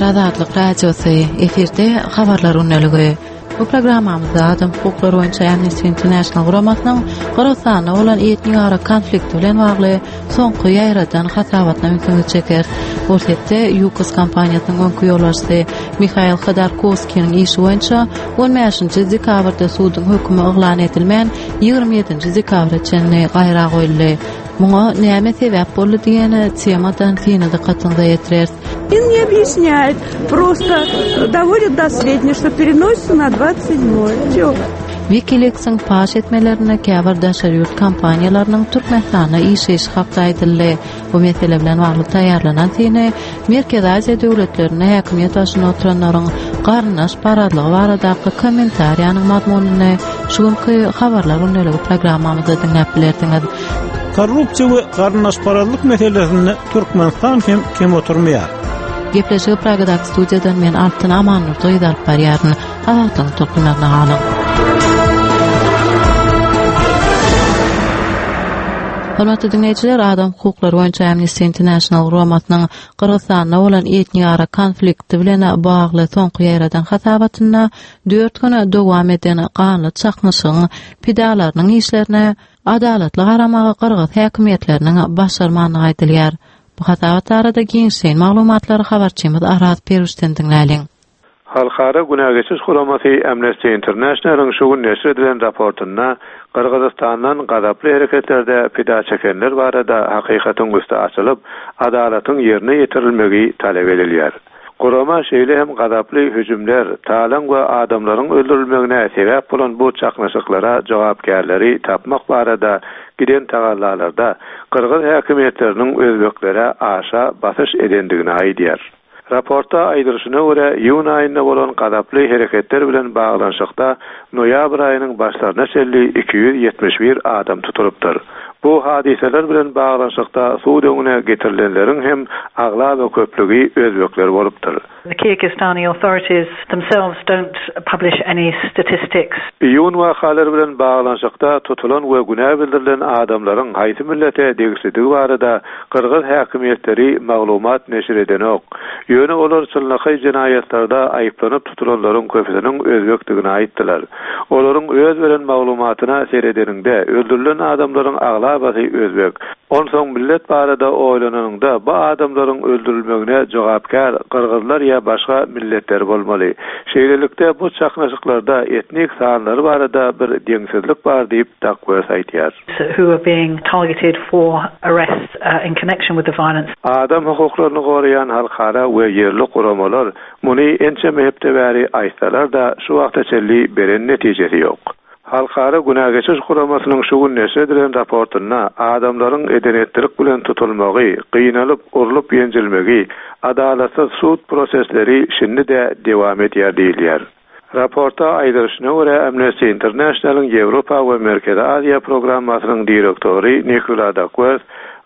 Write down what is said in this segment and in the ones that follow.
Azatlyk Radiosy, efirde Habarlar gündeligi. Bu programmamyzda adam hukuklary boýunça Amnesty International guramasynyň Gyrgyzystanda bolan etnik-ara konflikti bilen bagly soňky ýaýradan hasabatyna ünsüňizi çekeris. Orsýetde Ýukos kompaniýasynyň öňki ýolbaşçysy Mihail Hodorkowskiniň işi boýunça on bäşinji dekabrda suduň hökümi yglan edilmän, 27-nji dekabra çenli gaýra goýuldy. Muňa näme sebäp boldy diýen temadan syny dykgatyňyza ýetireris. Не объясняет, просто доводит до сведения, что переносится на 27 Все. Wikileaks-iň paş etmelerinde käbir daşary ýurt kompaniýalarynyň Türkmenistanda işleýşi hakda aýdyldy. Bu mesele bilen bagly taýýarlanan syny Merkezi Aziýa döwletlerinde häkimiýet başynda oturanlaryň garyndaş parazlygy baradaky kommentariýanyň mazmunyny şu günki Habarlar gündeligi programmamyzda diňläp bilersiňiz. Korrupsiýa we garyndaşparazlyk meselesinde Türkmenistan hem kem oturmaýar. Gepleşigi Pragadaky studiýadan men Altyn Amannurdy gyzy alyp barýaryn. Azatlygyň tolkunlaryna galyň. Hormatly diňleýjiler, adam hukuklary boýunça Amnesty International guramasynyň Gyrgyzystanda bolan etniara konflikti bilen bagly soňky ýaýradan hasabatynda dört gün dowam eden ganly çaknyşygyň pidalarynyň işlerine adalatly garamagy gyrgyz häkimiýetleriniň başarmandygy aýdylýar. Bu hasabat barada giňişleýin maglumatlary habarçymyz Araz Peruşden diňläliň. Halkara günä geçiş guramasy Amnesty International-yň şu gün neşir edilen raportynda Gyrgyzystandan gazaply hereketlerde pida çekenler barada hakykatyň üsti açylyp, adalatyň ýerine ýetirilmegi talap edilýär. Gurama şeýle hem gazaply hüjümler, talaň we adamlaryň öldürilmegine sebäp bolan bu çaknyşyklara jogapkärleri tapmak barada giden tagallalarda gyrgyz häkimiýetleriniň özbeklere aşa basyş edendigini aýdýar. Raportda aýdylyşyna görä, iýun aýynda bolan gazaply hereketler bilen baglanyşykda noýabr aýynyň başlaryna çenli 271 adam tutulypdyr. Bu hadysalar bilen baglanyşykda sud öňüne getirilenleriň hem aglaba köplügi özbekler bolupdyr. The Kyrgyzstani authorities themselves don't publish any statistics. Iýun wakalary bilen baglanyşykda tutulan we günä bildirilen adamlaryň haýsy millete degişlidigi barada Gyrgyz häkimiýetleri maglumat neşir edenok. Ýöne olar çynlakaý jenaýatlarda aýyplanyp tutulanlaryň köpüsiniň özbekdigini aýtdylar. Olaryň öz beren maglumatyna seredeniňde, öldürilen adamlaryň aglabasy özbek. Onsoň millet barada oýlananyňda, bu adamlaryň öldürilmegine jogapkär gyrgyzlar ýa başga milletler bolmaly. Şeýlelikde, bu çaknyşyklarda etnik sanlary barada bir deňsizlik bar diýip, Dakworth aýdýar. who are being targeted for arrest in connection with the violence. Adam hukuklaryny goraýan halkara we ýerli guramalar muny ençeme hepde bäri aýtsalar-da, şu wagta çenli beren netijesi ýok. Halkara günä geçiş guramasynyň şu gün neşir edilen raportynda adamlaryň eden-etdilik bilen tutulmagy, gynalyp, urlup-ýenjilmegi, adalatsyz sud prosesleri şindi-de dewam edýär diýilýär. Raportda aýdylyşyna görä, Amnesty International-yň Ýewropa we Merkezi Aziýa programmasynyň direktory Nikula Dakwers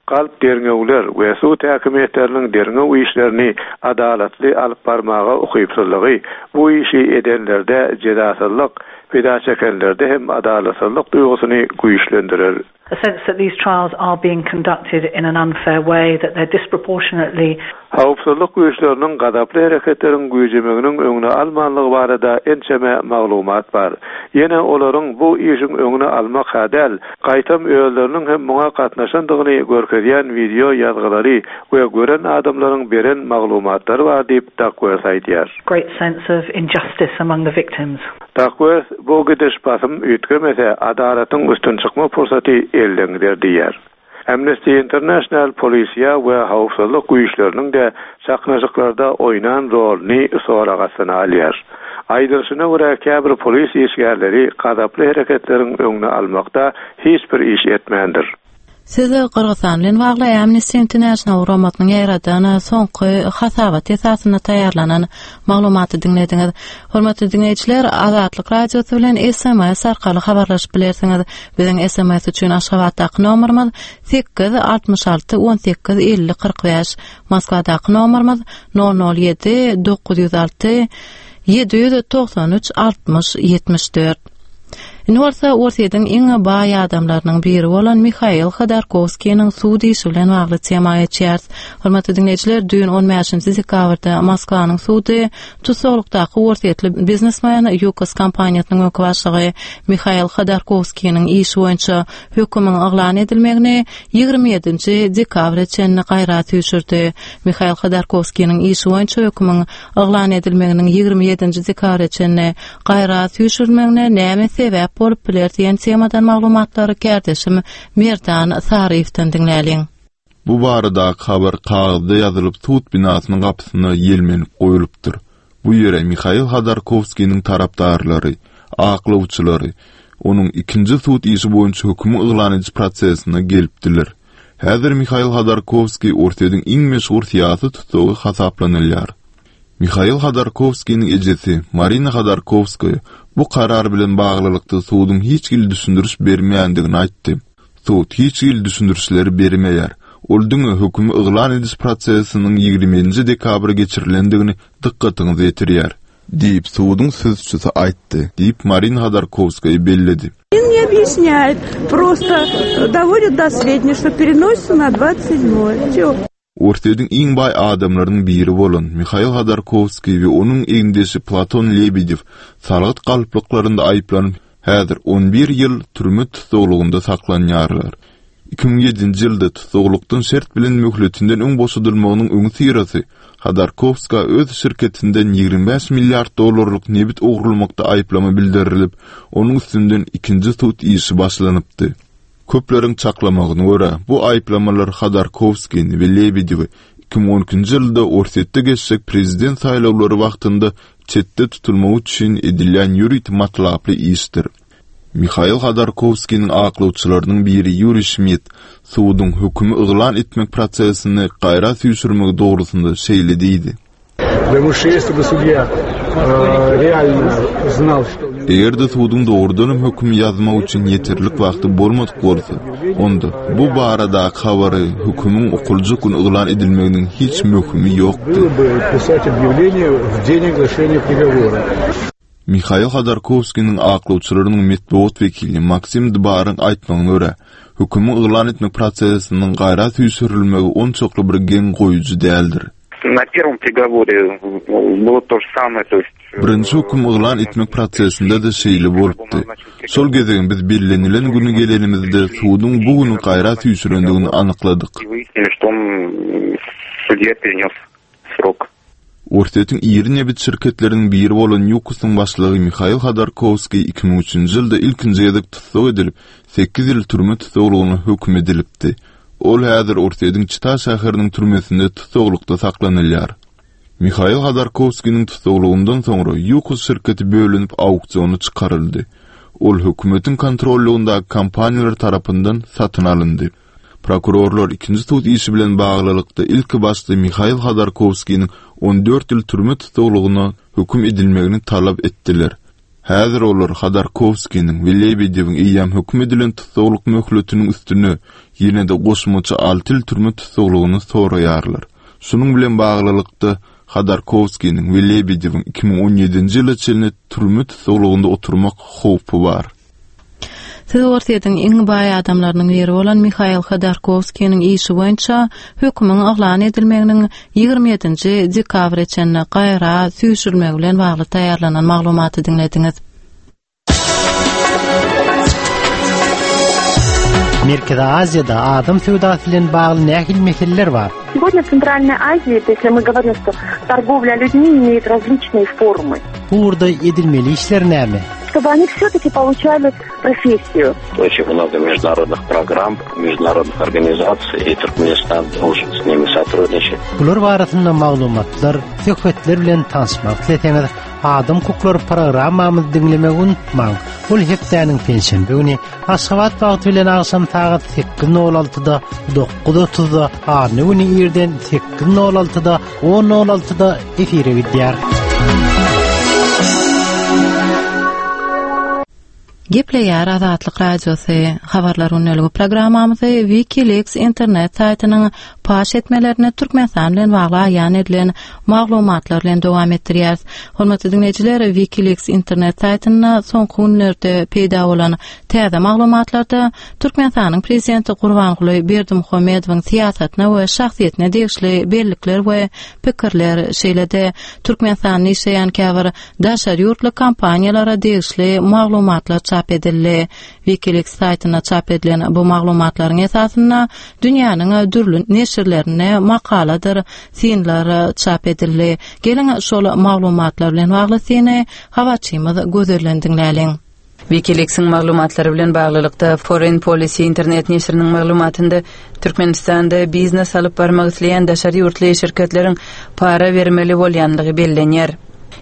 galp derňewler we sud häkimiýetleriniň derňew işlerini adalatly alyp barmaga ukypsyzlygy bu işi edenlerde jezasyzlyk, pida çekenlerde hem adalatsyzlyk duýgusyny güýçlendirer. A sense that these trials are being conducted in an unfair way, that they're disproportionately. Howpsuzlyk güýçleriniň gazaply hereketleriň güýjemeginiň öňüni almanlygy barada ençeme maglumat bar. Ýene olaryň bu işiň öňüni almak-ha däl, gaýtam özleriniň hem muňa gatnaşandygyny görkezýän wideo ýazgylary we gören adamlaryň beren maglumatlary bar diýip, Dakworth aýdýar. Great sense of injustice among the victims. Dakworth bu gidiş basym üýtgemese, adalatyň üstün çykma pursaty elden gider diýýär. Amnesty International polisiýa we howpsuzlyk güýçleriniň-de çaknyşyklarda oýnan roluny sorag astyna alýar. Aýdylyşyna görä, käbir polis işgärleri gazaply hereketleriň öňüni almakda hiç bir iş etmändir. Siz Gyrgyzystan bilen bagly Amnesty International guramasynyň ýaýradan soňky hasabaty esasynda taýýarlanan maglumaty diňlediňiz. Hormatly diňleýjiler, Azatlyk Radiosy bilen SMS arkaly habarlaşyp bilersiňiz. Biziň SMS üçin Aşgabatdaky nomerimiz 8 66 18 50 45, Moskwadaky nomerimiz 007 906 793 60 74. Indi bolsa Orsýetiň iň baý adamlarynyň biri bolan Mihail Hodorkowskiniň sud işi bilen bagly tema geçýäris. Hormatly diňleýjiler, düýn on bäşinji dekabrda Moskwanyň sudy tussaglykdaky orsýetli biznesmen, Ýukos kompaniýasynyň öňki başlygy Mihail Hodorkowskiniň işi boýunça hökümiň yglan edilmegini 27-nji dekabra çenli gaýra süýşürdi. Mihail Hodorkowskiniň işi boýunça hökümiň yglan edilmeginiň 27-nji dekabra çenli gaýra süýşürilmegine näme sebäp bolup biler diýen temadan maglumatlary kärdeşim Merdan Saryýewden diňläliň. Bu baradaky habar kagyzda ýazylyp sud binasynyň gapysyna ýelmenip goýlupdyr. Bu ýere Mihail Hodorkowskiniň tarapdarlary, aklawçylary onuň ikinji sud işi boýunça hökümi yglan ediş prosesine gelipdiler. Häzir Mihail Hodorkowskiý Orsýetiň iň meşhur syýasy tussagy hasaplanylýar. Mihail Hodorkowskiniň ejesi Marina Hodorkowskaýa bu karar bilen baglylykda suduň hiç hili düşündiriş bermeýändigini aýtdy. Sud hiç hili düşündirişleri bermeýär. Ol diňe hökümi yglan ediş prosesiniň 27 nji dekabra geçirilendigini dykgatyňyza ýetirýär. Diýip, suduň sözçüsi aýtdy, diýip, Marina Hodorkowskaýa belledi. Не объясняет, просто доводят до сведения, что переносится на 27 Все. Orsýetiň iň baý adamlarynyň biri bolan Mihail Hodorkowskiý we onuň egindeşi Platon Lebedew salgyt galplyklarynda aýyplanyp, häzir on bir ýyl türme tussaglygynda saklanýarlar. 2007-nji ýylda tussaglykdan şert bilen möhletinden öň boşadylmagynyň öňüsyrasy Hodorkowskä öz şirketinden 25 milliard dollarlyk nebit ogurlamakda aýyplama bildirilip, onuň üstünden ikinji sud işi başlanypdy. Köpleriň çaklamagyna görä, bu aýyplamalar Hodorkowskini we Lebedewi 2012-nji ýylda Orsýetde geçjek prezident saýlawlary wagtynda çetde tutulmagy üçin edilýän ýörite matlaply işdir. Mihail Hodorkowskiniň aklawçylarynyň biri Ýuriý Şmidt suduň hökümi yglan etmek prosesini gaýra süýşürmegi dogrusynda şeýle diýdi. Eger-de suduň dogrudanam hökümi ýazmak üçin ýeterlik wagty bolmadyk bolsa, onda bu baradaky habary hökümiň okaljak güni yglan edilmeginiň hiç möhümi ýokdy. Mihail Hodorkowskiniň aklawçylarynyň metbugat wekili Maksim Dbaryň aýtmagyna görä, hökümi yglan etmek prosesiniň gaýra süýşürilmegi onçakly bir geň goýujy däldir. Na perwom prigoworye bylo to že samoe, to ýest. Birinji höküm yglan etmek prosesinde-de şeýle bolupdy. Şol gezegem biz bellenilen güni gelenimizde suduň bu güni gaýra süýşürendigini anykladyk. Orsýetiň iri nebit şirketleriniň biri bolan Ýukosyň başlygy Mihail Hodorkowskiý 2003-nji ýylda ilkinji gezek tussag edilip, sekiz ýyl türme tussaglygyna höküm edilipdi. Ol häzir Orsýetiň Çita şäheriniň türmesinde tussaglykda saklanylýar. Mihail Hodorkowskiniň tussaglygyndan soňra Ýukos şirketi bölünip auksiona çykaryldy. Ol hökümetiň kontrollygyndaky kompaniýalar tarapyndan satyn alyndy. Prokurorlar ikinji sud işi bilen baglylykda ilki başda Mihail Hodorkowskiniň 14 ýyl türme tussaglygyna höküm edilmegini talap etdiler. Häzir olar Hodorkowskiniň we Lebedewiň eýýäm höküm edilen tussaglyk möhletiniň üstüne ýene-de goşmaça alty ýyl türme tussaglygyny soraýarlar. Şunuň bilen baglylykda, Hodorkowskiniň we Lebedewiň 2017-nji ýyla çenli türme tussaglygynda oturmak howpy bar. Siz Orsýetiň iň baý adamlarynyň biri bolan Mihail Hodorkowskiniň işi boýunça hökümiň yglan edilmeginiň 27-nji dekabra çenli gaýra süýşürilmegi bilen bagly taýýarlanan maglumaty diňlediňiz. Merkezi Aziýada adam söwdasy bilen bagly nähili meseleler bar? Сегодня в Центральной Азии, то если мы говорим, что торговля людьми имеет различные формы. Bu ugurda edilmeli işler näme? Чтобы они все-таки получали профессию. Очень много международных программ, международных организаций, и Туркменистан должен с ними сотрудничать. Bular barasynda maglumatlar, söhbetler bilen tanyşmak isleseňiz, Adam hukuklary programmamyzy diňlemegi unutmaň. Ol hepdäniň penşenbe güni Aşgabat wagty bilen agşam sagat 8.06-da, 9.30-da, anna güni irden 8.06-da, 10.06-da efire gidýär. Gepleýär Azatlyk Radiosy, Habarlar gündeligi programmamyzy WikiLeaks internet saýtynyň paş etmelerini Türkmenistan bilen bagly aýan edilen maglumatlar bilen dowam etdirýäris. Hormatly diňleýjiler, WikiLeaks internet saýtynda soňky günlerde peýda bolan täze maglumatlarda Türkmenistanyň Prezidenti Gurbanguly Berdimuhamedowyň syýasatyna we şahsyýetine degişli bellikler we pikirler, şeýle-de Türkmenistanda işleýän käbir daşary ýurtly kompaniýalara degişli maglumatlar çap edildi. WikiLeaks saýtynda çap edilen bu maglumatlaryň esasynda dünýäniň dürli neşirlerinde makaladyr synlar çap edildi. Geliň, şol maglumatlar bilen bagly syny habarçymyz Gözelden diňläliň. WikiLeaks-iň maglumatlary bilen baglylykda, Foreign Policy internet neşiriniň maglumatynda Türkmenistanda biznes alyp barmak isleýän daşary ýurtly şirketleriň para bermeli bolýandygy bellenýär.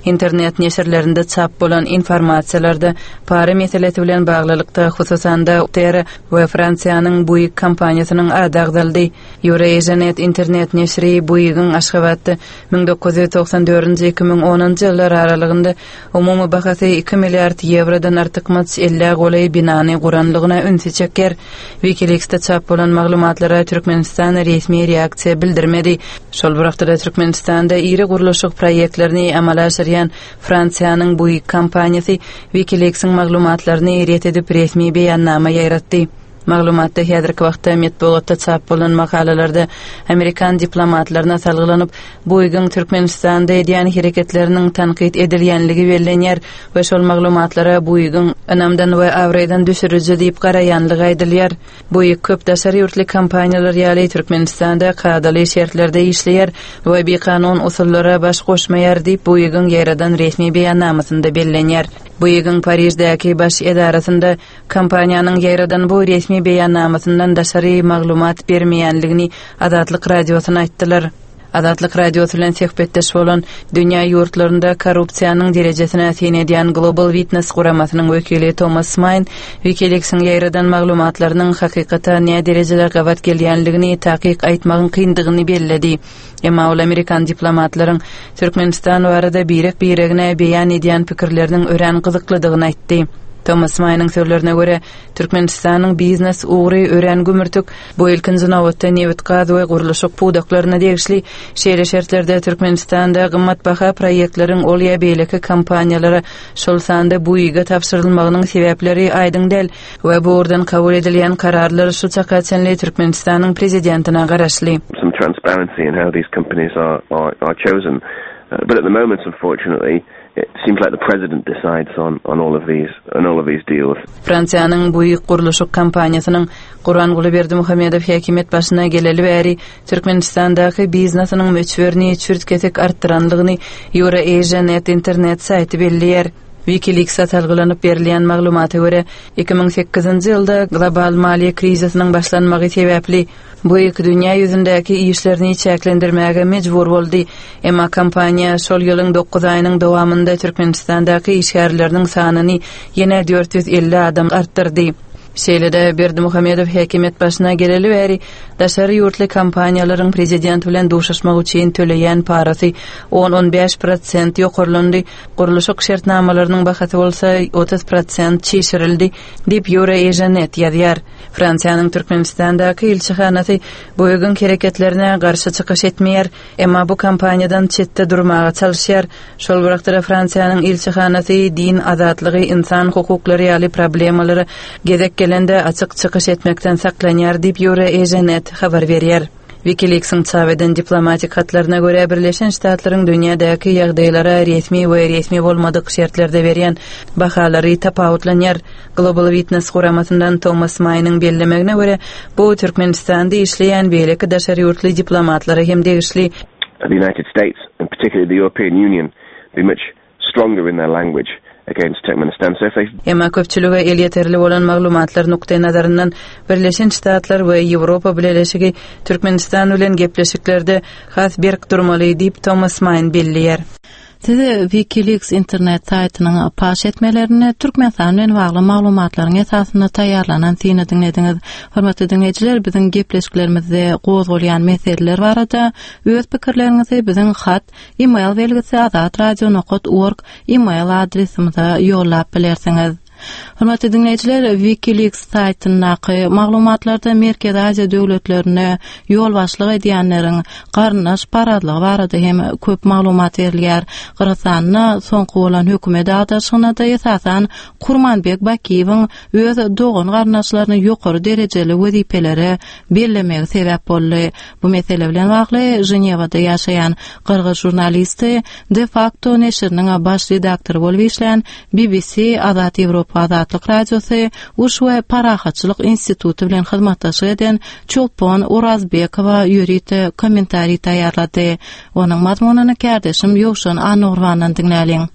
Internet neşirlerinde çap bolan informasiýalarda para meselesi bilen baglylykda, hususan-da, Terra we Fransiýanyň Bouygues kompaniýasynyň ady agzaldy. Eurasianet internet neşiri Bouygues-iň Aşgabatda 1994-nji, 2010-njy ýyllar aralygynda Umumy bahasy iki milliard ýewrodan artykmaç ellä golaý binany guranlygyna ünsi çekýär. Wikileaksde çap bolan maglumatlara Türkmenistan resmi reaksiýa bildirmedi. Şol bir wagtda-da Türkmenistanda iri gurluşyk proýektlerini amala aşyrýan Fransiýanyň Bouygues kompaniýasy Wikileaksiň maglumatlaryny ret edip resmi beýannama ýaýratdy. Maglumatda häzirki wagtda metbugatda çap bolan makalalarda amerikan diplomatlaryna salgylanyp, Boýgyň Türkmenistanda edýän hereketleriniň tankyt edilýänligi bellenýär we şol maglumatlara Boýgyň ynamdan we abraýdan düşüriji diýip garaýanlygy aýdylýar. Boýg köp daşary ýurtly kompaniýalar ýaly Türkmenistanda kadaly şertlerde işleýär we bikanun usullara baş goşmaýar diýip, Boýgyň ýaýradan resmi beýannamasynda bellenýär. Boýgyň Pariždäki baş edarasynda Kompaniýanyň ýaýradan bu resmi beýannamasyndan daşary maglumat bermeýänligini Azatlyk Radiosyna aýtdylar. Azatlyk Radiosy bilen söhbetdeş bolan dünýä ýurtlarynda korrupsiýanyň derejesine syn edýän Global Witness guramasynyň wekili Tomas Maýn WikiLeaks-iň ýaýradan maglumatlarynyň hakykata näderejede gabat gelýänligini takyk aýtmagyň kyndygyny belledi. Emma ol amerikan diplomatlaryň Türkmenistan barada birek-biregine beýan edýän pikirleriniň örän gyzyklydygyny aýtdy. Tomas Maýnyň sözlerine görä, Türkmenistanyň biznes ugry örän gümürtik, bu ilkinji nobatda nebit-gaz we gurluşyk pudaklaryna degişli. Şeýle şertlerde Türkmenistanda gymmatbaha proýektleriň ol ýa beýleki kompaniýalara, şol sanda Buiga tabşyrylmagynyň sebäpleri aýdyň däl we bu ugurdan kabul edilýän kararlar şu çaka çenli Türkmenistanyň prezidentine garaşly. Some transparency in how these companies are are are chosen. But at the moment, unfortunately, it seems like the president decides on on all of these on all of these deals. Fransiýanyň Buig gurluşyk kompaniýasynyň Gurbanguly Berdimuhamedow häkimiýet başyna geleli bäri Türkmenistandaky biznesiniň möçberini çürt-kesik artdyranlygyny Eurasia.net internet saýty belleýär. Wikileaks-a salgylanyp berilýän maglumata görä, 2008-nji ýylda global maliýe krizisiniň başlanmagy sebäpli Buig dünýä ýüzündäki işlerini çäklendirmäge mejbur boldy. Emma kompaniýa şol ýylyň dokuz aýynyň dowamynda Türkmenistandaky işgärleriniň sanyny ýene 450 adam artdyrdy. Şeýle-de, Berdimuhamedow häkimiýet başyna geleli bäri daşary ýurtly kompaniýalaryň prezident bilen duşuşmak üçin töleýän parasy on-on bäş prosent ýokarlandy, gurluşyk şertnamalarynyň bahasy bolsa 30 prosent çişirildi, diýip, Eurasianet ýazýar. Fransiýanyň Türkmenistandaky ilçihanasy Boeing hereketlerine garşy çykyş etmeýär, emma bu kompaniýadan çetde durmaga çalyşýar. Şol bir wagtda-da Fransiýanyň ilçihanasy din azatlygy, ynsan hukuklary ýaly problemalara gezek gelende açyk çykyş etmekden saklanýar diýip, Eurasianet habar berýär. Wikileaks-iň çap eden diplomatik hatlaryna görä, Birleşen Ştatlaryň dünýädäki ýagdaýlara resmi we resmi bolmadyk şertlerde berýän bahalary tapawutlanýar. Global Witness guramasyndan Tomas Maýnyň bellemegine görä, bu Türkmenistanda işleýän beýleki daşary ýurtly diplomatlara hem degişli. The United States and particularly the European Union be much stronger in their language against Turkmenistan. So if they Emma köpçülige elýeterli bolan maglumatlar nukdaýnazaryndan Birleşen Ştatlar we Ýewropa Bileleşigi Türkmenistan bilen gepleşiklerde has berk durmaly diýip, Tomas Maýn belleýär. Siz WikiLeaks internet saýtynyň paş etmelerini Türkmenistan bilen bagly maglumatlaryň esasynda taýýarlanan syny diňlediňiz. Hormatly diňleýjiler, biziň gepleşiklerimizde gozgalýan meseleler barada öz pikirleriňizi biziň hat, e-mail belgisi azatradio nokat org e-mail adresimize ýollap bilersiňiz. Hormatly diňleýjiler, WikiLeaks saýtyndaky maglumatlarda Merkezi Aziýa döwletlerine ýolbaşçylyk edýänleriň garyndaş parazlygy barada hem köp maglumat berilýär. Gyrgyzystanda soňky bolan hökümet agdaryşygynda-da esasan Kurmanbek Bakiýewiň öz dogan-garyndaşlaryny ýokary derejeli wezipelere bellemegi sebäp boldy. Bu mesele bilen bagly Ženewada ýaşaýan gyrgyz žurnalisti, De Facto neşiriniň baş redaktory bolup işlän BBC, Azat Ýewropa Azatlyk Radiosy, Uruş we parahatçylyk instituty bilen hyzmatdaşlyk eden Çolpon Orazbekowa ýörite kommentariý taýýarlady. Onuň mazmunyny kärdeşim Ýowşan Annagurbandan diňläliň.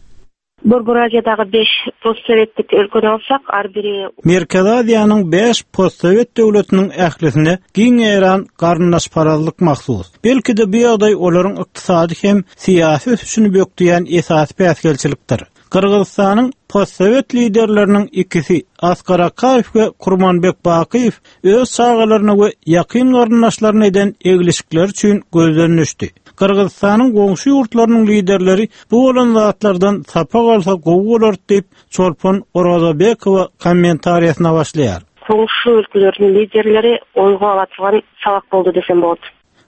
Borgor Aziýadagy beş postsowetlik ülkeni alsak, ar biri. Merkezi Aziýanyň beş postsowet döwletiniň ählisine giň ýaýran garyndaşparazlyk mahsus. Belki-de bu ýagdaý olaryň ykdysady hem syýasy ösüşini bökdeýän esasy päsgelçilikdir. Gyrgyzystanyň postsowet liderleriniň ikisi, Askar Akaýew we Kurmanbek Bakyýew öz çagalaryna we ýakyn garyndaşlaryna eden eglişikleri üçin gözden düşdi. Gyrgyzystanyň goňşy ýurtlarynyň liderleri bu bolan zatlardan sapak alsa gowy bolardy diýip, Çolpon Orazobekowa kommentariýasyna başlaýar. Goňşy ülkeleriň liderleri oýga ala turgan sabak boldy desem bolat.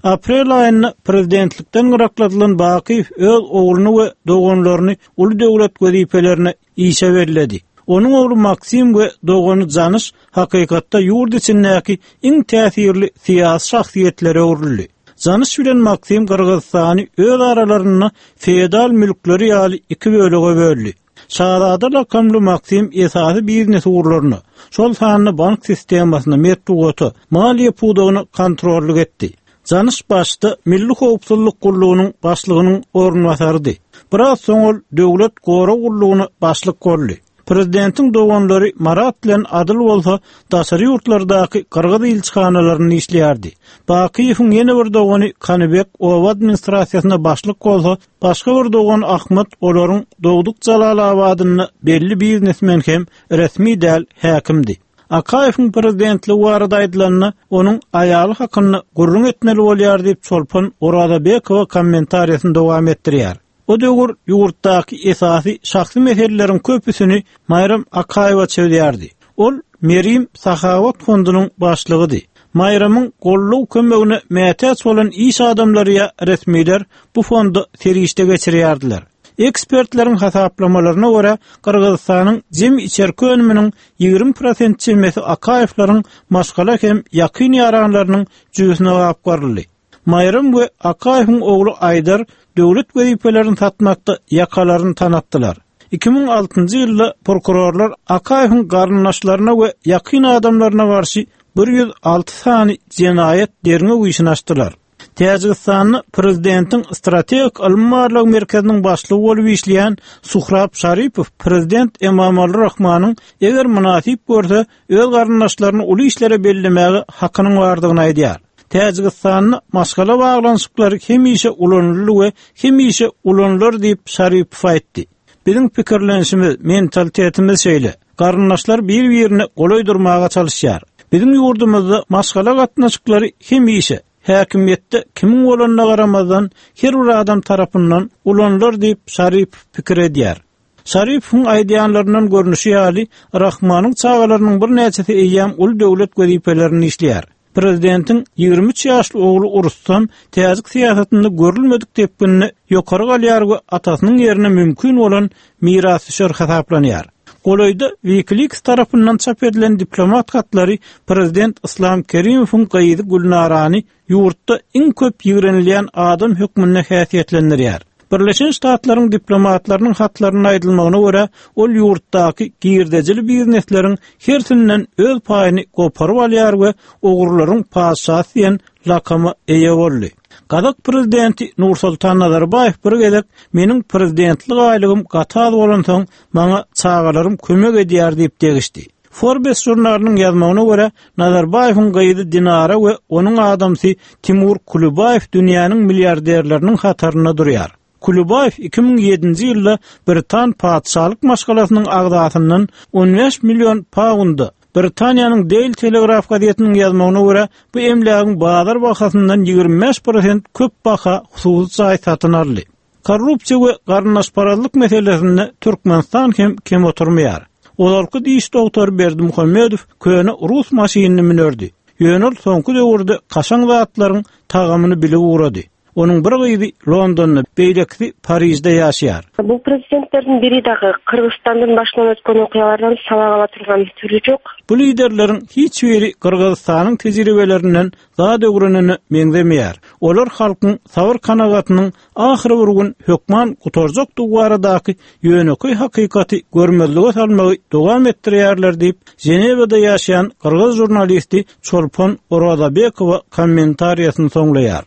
Aprel aýynda prezidentlikden gyrakladylan Bakyýew öz ogluny we doganlaryny uly döwlet wezipelerine işe belledi. Onuň ogly Maksim we dogany Janyş hakykatda ýurt içindäki iň täsirli syýasy şahsyýetlere öwrüldi. Janyş bilen Maksim Gyrgyzystany öz aralarynda feodal mülkleri ýaly iki bölege böldi. Şazada lakamly Maksim esasy biznes ugurlaryna, şol sanda bank sistemasyna, metbugata, maliýe pudagyna kontrollyk etdi. Janyş başda Milli howpsuzlyk gullugynyň başlygynyň orunbasarydy. Biraz soň ol Döwlet gorag gullugyna başlyk boldy. Prezidentiň doganlary Marat bilen Adyl bolsa daşary ýurtlardaky gyrgyz ilçihanalarynda işleýärdi. Bakyýewiň ýene bir dogany Kanybek oba administrasiýasynda başlyk bolsa, başga bir dogany Ahmyt olaryň dogduk Jalalabadynda belli biznesmen hem resmi däl häkimdi. Akaýewiň prezidentligi barada aýdylanda, onuň aýaly hakynda gürrüň etmeli bolýar diýip, Çolpon Orazabekowa kommentariýasyny dowam etdirýär. O döwür ýurtdaky esasy şahsy meseleleriň köpüsini Maýram Akaýewa çözýärdi. Ol Merim sahawat fondunyň başlygydy. Maýramyň goldaw kömegine mätäç bolan iş adamlary ýa resmiler bu fonda serişde geçirýärdiler. Ekspertleriň hasaplamalaryna görä, Gyrgyzystanyň jemi içerki önüminiň 20 prosent çemesi Akaýewleriň maşgala hem ýakyn ýaranlarynyň jübüsine gapgaryldy. Maýram we Akaýewiň ogly Aýdar döwlet wezipelerini satmakda ýakalaryny tanatdylar. 2006-njy ýylda prokurorlar Akaýewiň garyndaşlaryna we ýakyn adamlaryna garşy 106 sany jenaýat derňew işini açdylar. Täjigistanda prezidentiň strategik ylmy-barlag merkeziniň başlygy bolup işleýän Suhrab Şaripow prezident Emomali Rahmanyň eger mynasyp görse, öz garyndaşlaryny uly işlere bellemäge hakynyň bardygyny aýdýar. Täjigistanda maşgala baglanyşyklary hemişe ulanyldy we hemişe ulanylar diýip, Şaripow aýtdy. Biziň pikirlenişimiz, mentalitetimiz şeýle. Garyndaşlar bir-birine golaý durmaga çalyşýar. Biziň ýurdumyzda maşgala gatnaşyklary hemişe, häkimiýetde kimiň bolanyna garamazdan, her bir adam tarapyndan ulanylar diýip, Şaripow pikir edýär. Şaripowyň aýdýanlaryndan görnüşi ýaly, Rahmanyň çagalarynyň birnäçesi eýýäm uly döwlet wezipelerinde işleýär. Prezidentiň 23 ýaşly ogly Rustam täjik syýasatynda görülmedik depginde ýokary galýar we atasynyň ýerine mümkin bolan mirasdüşer hasaplanýar. Golaýda WikiLeaks tarapyndan çap edilen diplomat hatlary prezident Yslam Kerimowyň gyzy Gülnarany ýurtda iň köp ýigrenilýän adam hökmünde häsiýetlendirýär. Birleşen Ştatlaryň diplomatlarynyň hatlarynda aýdylmagyna görä, ol ýurtdaky girdejili biznesleriň hersinden öz paýyny goparyp alýar we ogurlaryň patyşasy diýen lakama eýe boldy. Gazak prezidenti Nursultan Nazarbaýew bir gezek meniň prezidentlik aýlygym gaty az bolansoň, maňa çagalarym kömek edýär diýip degişdi. Forbes žurnalynyň ýazmagyna görä, Nazarbaýewiň gyzy Dinara we onuň adamsy Timur Kulibaýew dünýäniň milliarderleriniň hatarynda durýar. Kulibaýew 2007-nji ýylda britan patyşalyk maşgalasynyň agzasyndan 15 million paunda, Britaniýanyň Daily Telegraph gazetiniň ýazmagyna görä, bu emlägiň bazar bahasyndan 25 prosent köp baha hususy jaý satyn aldy. Korrupsiýa we garyndaşparazlyk meselesinde Türkmenistan hem kem oturmaýar. Ozalky diş dogtory Berdimuhamedow köne rus maşynyny münerdi. Ýöne ol soňky döwürde kaşaň zatlaryň tagamyny bilip ugrady. Onuň bir gyzy Londonda, beýlekisi Parižde ýaşaýar. Бул президенттердин бири дагы Кыргызстандын башынан өткөн окуялардан сабак ала турган түрү жок. Bu liderleriň hiç biri Gyrgyzystanyň tejribelerinden zat öwrenene meňzemeýär. Olar halkyň sabyr-kanagatynyň ahyry bir gün hökman gutarjakdygy baradaky ýönekeý hakykaty görmezlige salmagy dowam etdirýärler diýip, Ženewada ýaşaýan gyrgyz žurnalisti Çolpon Orazabekowa kommentariýasyny soňlaýar.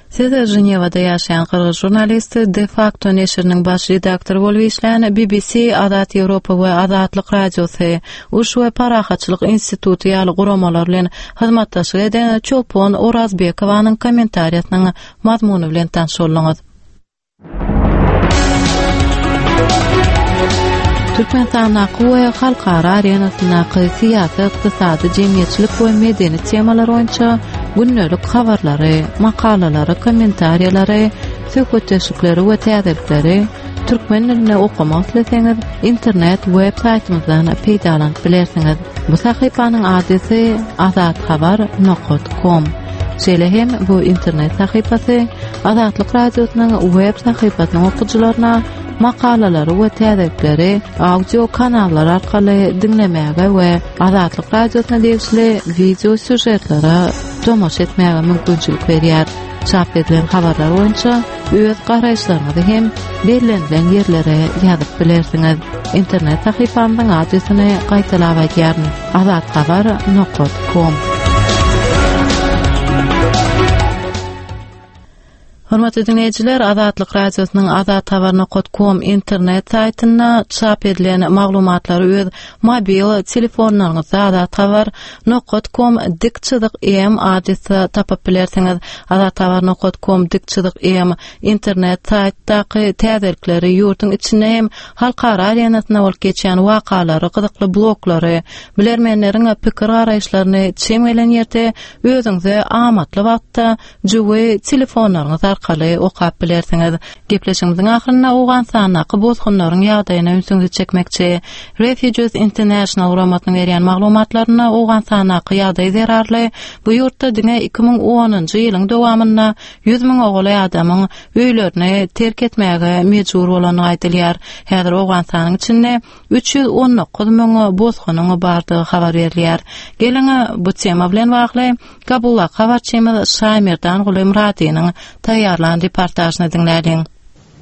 Siz Ženewada ýaşaýan gyrgyz žurnalisti, De Facto neşiriniň baş redaktory bolup işlän, BBC, Azat Ýewropa we Azatlyk Radiosy, Uruş we parahatçylyk instituty ýaly guramalar bilen hyzmatdaşlyk eden Çolpon Orazbekowanyň kommentariýasynyň mazmuny bilen tanyş bolduňyz. Türkmenistandaky we halkara arenasyndaky syýasy, ykdysady, jemgyýetçilik we medeni temalar boýunça gündelik habarlary, makalalary, kommentariýalary, söhbetdeşlikleri we täzelikleri türkmen dilinde okamak isleseňiz, internet web saýtymyzdan peýdalanyp bilersiňiz. Bu sahypanyň adresi azathabar nokat kom. Şeýle hem bu internet sahypasy Azatlyk Radiosynyň web sahypasynyň okyjylaryna makalalary we täzelikleri audio kanallar arkaly diňlemäge we Azatlyk Radiosyna degişli wideo sýužetlere tomaşa etmäge mümkinçilik berýär. Çap edilen habarlar boýunça öz garaýyşlaryňyzy hem bellenilen ýerlere ýazyp bilersiňiz. Internet sahypamyzyň adresini gaýtalap aýdýaryn, azathabar nokat kom. Hormatly diňleýjiler, Azatlyk Radiosynyň azathabar.com internet saýtynda çap edilen maglumatlary öz mobil telefonlaryňyzda azathabar.com dik çyzyk m adresde tapyp bilersiňiz. Azathabar.com dik çyzyk m internet saýtdaky täzelikleri, ýurduň içinde hem halkara arenasynda bolup geçýän wakalary, gyzykly bloglary, bilermenleriň pikir-garaýyşlaryny çem gelen ýerde özüňize amatly wagtda jübi telefonlaryňyz arkaly okap bilersiňiz. Gepleşigimiziň ahyrynda Owganystandaky bosgunlaryň ýagdaýyna ünsüňizi çekmekçi. Refugees International guramasynyň berýän maglumatlarynda Owganystandaky ýagdaý zerarly bu ýurtda diňe 2010-njy ýylyň dowamynda 100 müňe golaý adamyň öýlerini terk etmäge mejbur bolandygy aýdylýar. Häzir Owganystanyň içinde 319 müň bosgunyň bardygy habar berilýär. Geliň, bu tema bilen bagly Kabuldaky habarçymyz Şaýmerdan Gulymyradynyň taýýarlan reportažyny diňläliň.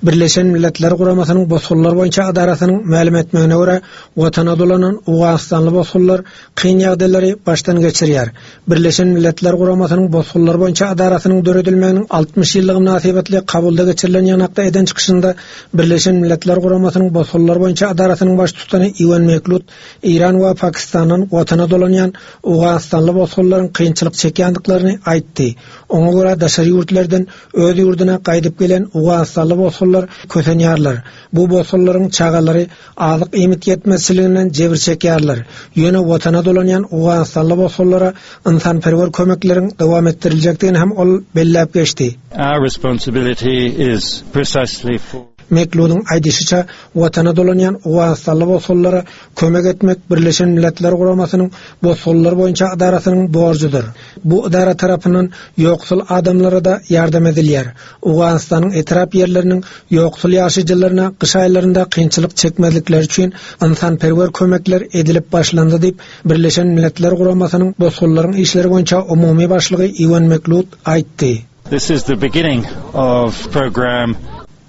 Birleşen Milletler Guramasynyň Bosgunlar boýunça edarasynyň mälim etmegine görä, watana dolanan owganystanly bosgunlar kyn ýagdaýlary başdan geçirýär. Birleşen Milletler Guramasynyň Bosgunlar boýunça edarasynyň döredilmeginiň 60 ýyllygy mynasybetli Kabulda geçirilen ýygnakda eden çykyşynda Birleşen Milletler Guramasynyň Bosgunlar boýunça edarasynyň baştutany Iwan Meklut Eýran we Pakistandan watana dolanýan owganystanly bosgunlaryň kynçylyk çekýändiklerini aýtdy. Oňa görä, daşary ýurtlardan öz ýurduna gaýdyp gelen owganystanly bosgunlar kösenýärler. Bu bosgunlaryň çagalary azyk-iýmit ýetmezçiliginden jebir çekýärler. Ýöne watana dolanýan owganystanly bosgunlara ynsanperwer kömekleriň dowam etdiriljekdigini hem ol belläp geçdi. Our responsibility is precisely for. Mekludyň aýdyşyça, Watana dolanýan owganystanly bosgunlara kömek etmek Birleşen Milletler Guramasynyň Bosgunlar boýunça edarasynyň borjudyr. Bu edara tarapyndan ýoksul adamlara-da ýardam edilýär. Owganystanyň etrap ýerleriniň ýoksul ýaşaýjylaryna gyş aýlarynda kynçylyk çekmezlikleri üçin ynsanperwer kömekler edilip başlandy diýip, Birleşen Milletler Guramasynyň Bosgunlaryň işleri boýunça umumy başlygy Iwan Meklut aýtdy. This is the beginning of program.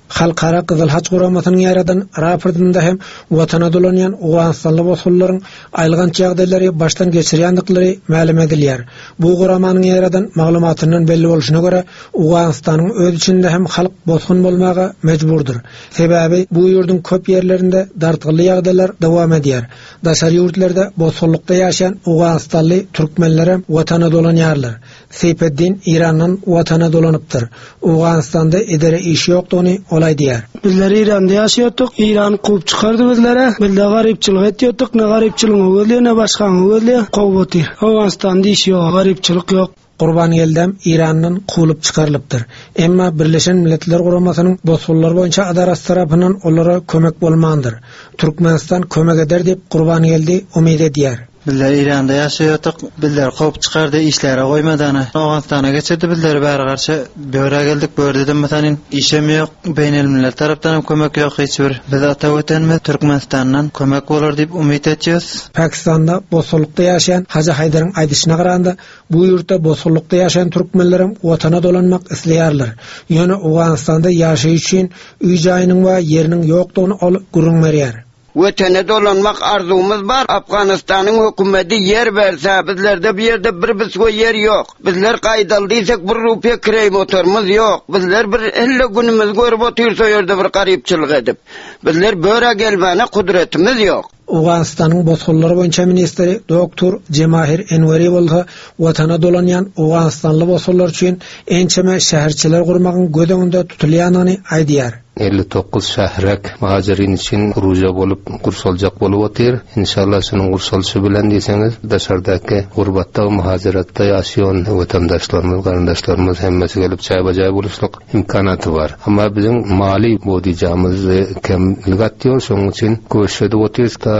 Halkara Gyzyl Haç Guramasynyň ýaýradan raportynda hem watana dolanýan owganystanly bosgunlaryň aýylganç ýagdaýlary başdan geçirýändikleri mälim edilýär. Bu guramanyň ýaýradan maglumatyndan belli bolşuna görä, Owganystanyň öz içinde hem halk bosgun bolmaga mejburdyr. Sebäbi bu ýurduň köp ýerlerinde dartgynly ýagdaýlar dowam edýär. Daşary ýurtlarda bosgunlykda ýaşaýan owganystanly türkmenlerem watana dolanýarlar. Seýpeddin Eýrandan Watana dolanypdyr. Owganystanda edere iş ýokdugyny ol aýdýar. Bizler Eýranda ýaşaýardyk. Eýran kowup çykardy bizlere. Bizde garypçylyk etýärdik. Ne garypçylygyňy gözleýär, ne başgaňy gözleýär. Kowup otyr. Owganystanda iş ýok, garypçylyk ýok. Gurbangeldem Eýrandan kowlup çykarylypdyr. Emma Birleşen Milletler Guramasynyň Bosgunlar boýunça ydarasy tarapyndan olara kömek bolmandyr. Türkmenistan kömek eder diýip Gurbangeldi umyt edýär. Bizler Eýranda ýaşaýardyk. Bizleri kowup çykardy, işläre goýmady ana. Owganystana geçirdi bizleri bäri garşy. Börä geldik, börde-de mesanin işem ýok. Beýnelmilel tarapdanam kömek ýok hiç bir. Biz ata Watanymyz Türkmenistandan kömek bolar diýip umyt etýäs. Pakistanda bosgunlykda ýaşaýan Hajy Haýdaryň aýdyşyna garanda, bu ýurtda bosgunlykda ýaşaýan türkmenlerem watana dolanmak isleýärler. Ýöne Owganystanda ýaşaýyş üçin öý-jaýynyň we ýeriniň ýokdugyny ol gürrüň berýär. Wetene dolanmak arzuwymyz bar. Afganystanyň hökümedi ýer berse, bizlerde bu ýerde bir biswe ýer ýok. Bizler gaýdaly diýsek bir rupiýa kireý motorymyz ýok. Bizler bir hille günümizi görüp otyrys o ýerde bir garypçylyk edip. Bizler börä gelmäne kudretimiz ýok. Owganystanyň bosgunlar boýunça ministri doktor Jemahir Enweri bolsa watana dolanýan owganystanly bosgunlar üçin ençeme şäherçeler gurmagyň göz öňünde tutulýandygyny aýdýar. 59 şährek muhajirin üçin puruja bolup gurşaljak bolup otyr. Inşallah şunuň gurşalyşy bilen diýseňiz daşardaky gurbatda muhajiratda ýaşaýan watandaşlarymyz, garyndaşlarymyz hemmesi gelip jaýba-jaý boluşlyk imkanaty bar. Emma biziň maliý budijamyz kemlik atýar, şonuň üçin köşüş edip otyrys da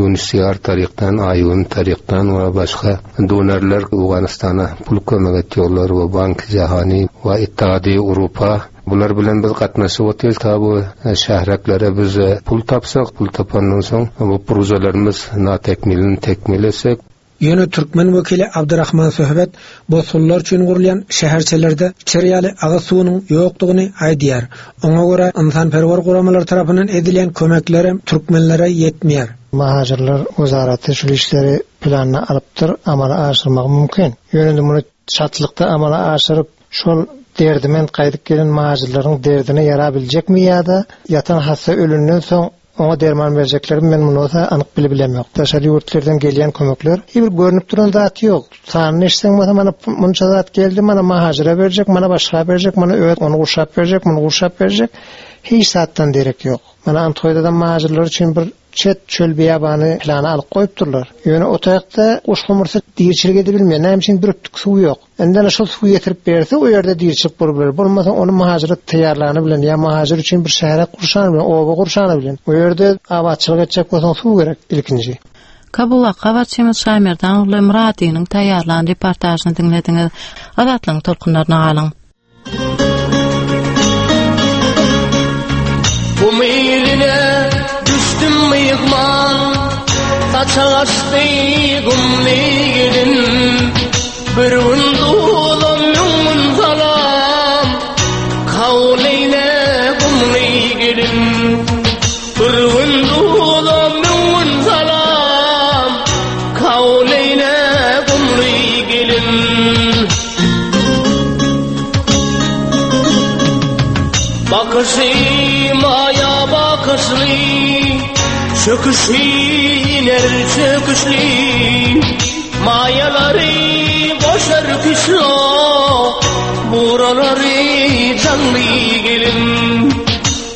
UNHCR tarykdan, IOM tarykdan we başga donorlar Owganystana pul kömek etýärler we Bank Jahany we Ittihadi Urupa Bular bilen biz gatnaşyp otyrys, ta bu şähreklere biz pul tapsak, pul tapandan soň bu pružalarymyz natekmilini tekmil etsek. Ýöne türkmen wekili Abdyrahman Söhbet bosgunlar üçin gurulýan şäherçelerde içer ýaly agyz suwunyň ýokdugyny aýdýar. Oňa görä, ynsanperwer guramalar tarapyndan edilýän kömeklerem türkmenlere ýetmeýär. Muhajirler wezaraty şul işleri planyna alypdyr, amala aşyrmagy mümkin. Ýöne indi muny çaltlykda amala aşyryp, şol derdiment gaýdyp gelen muhajirleriň derdine ýarabiljekmi ýa-da ýatan hassa ölenden soň oňa derman berjeklermi men muny bolsa anyk bilibilemok. Daşary ýurtlardan gelýän kömekler hiç bir görnüp duran zat ýok. Sanyny eşitseň bolsa mana munça zat geldi, mana muhajire berjek, mana başga berjek, mana öz ony gurşap berjek, muny gurşap berjek. Hiç zatdan derek ýok. Mana Antoýdadan muhajirler üçin bir çet çöl beýabany plana alyp goýupdyrlar. Ýöne o taýakda guşgumursa diriçilik edibilmeýär. Näme üçin bir üptük suw ýok. Indi ana şol suwy getirip berse o ýerde diriçilik bolup biler. Bolmasa ony muhajyra taýýarlany bilen ýa muhajyr üçin bir şähere gurşany bilen, oba gurşany bilen. O ýerde abatçylyk etjek bolsaň suw gerek ilkinji. Kabuldaky habarçymyz Şaýmerdan ogly Myradynyň taýýarlan reportažyny diňlediňiz. Azatlygyň tolkunlaryna galyň. Gum iline düşdüm myhman Saçak açdy gumly gelin Bir gün duzam müň gün salam Kabul eýle gumly gelin Bir gün duzam müň gün salam Kabul eýle gumly gelin Bakyşy maýa bakyşly, Çöküşi iner çöküşli, Maýalary goşar küşlo, Buralary janly gelin.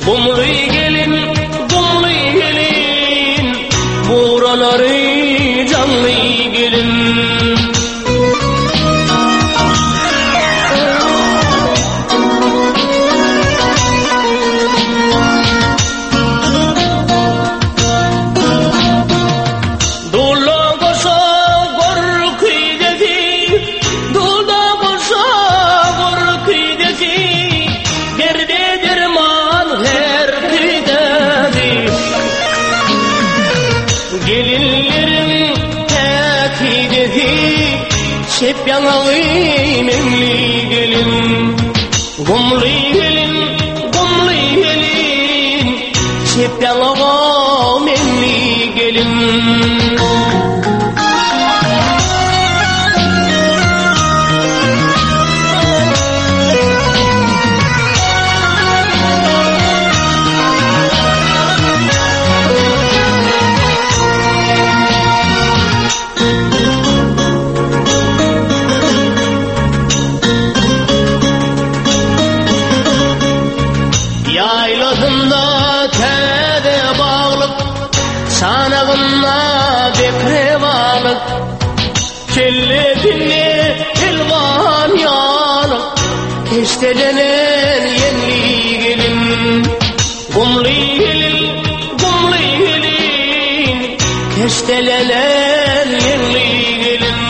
Gumly gelin, gumly gelin, Buralary janly gelin. Dula goşa gorkydesi, Dula goşa gorkydesi, Derde derman her küydesi. Gelinleriň päkidesi, Çep ýaňagy meňli gelin. Gumly gelin, gumly gelin, Çep ýaňagy meňli gelin. Ýaýlasynda täze baglyk, Çanagynda bekre balyk, Kellesinde telwas. Çopan ýaly keşdelenen ýeňli gelin. Gumly gelin, gumly gelin, keşdelenen ýeňli gelin.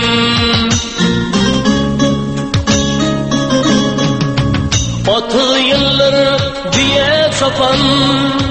30 ýyldyr düýe çopan.